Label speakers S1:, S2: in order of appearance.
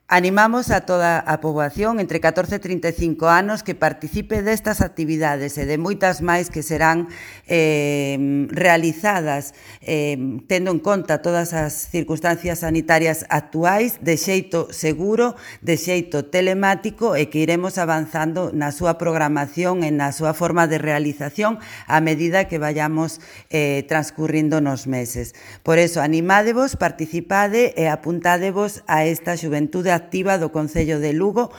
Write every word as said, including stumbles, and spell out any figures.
S1: Animamos a toda a poboación entre catorce e trinta e cinco anos que participe destas actividades e de moitas máis que serán eh, realizadas eh, tendo en conta todas as circunstancias sanitarias actuais de xeito seguro, de xeito telemático e que iremos avanzando na súa programación e na súa forma de realización a medida que vayamos eh, transcurrindo nos meses. Por eso, animádevos, participade e apuntádevos a esta xuventude activa do Concello de Lugo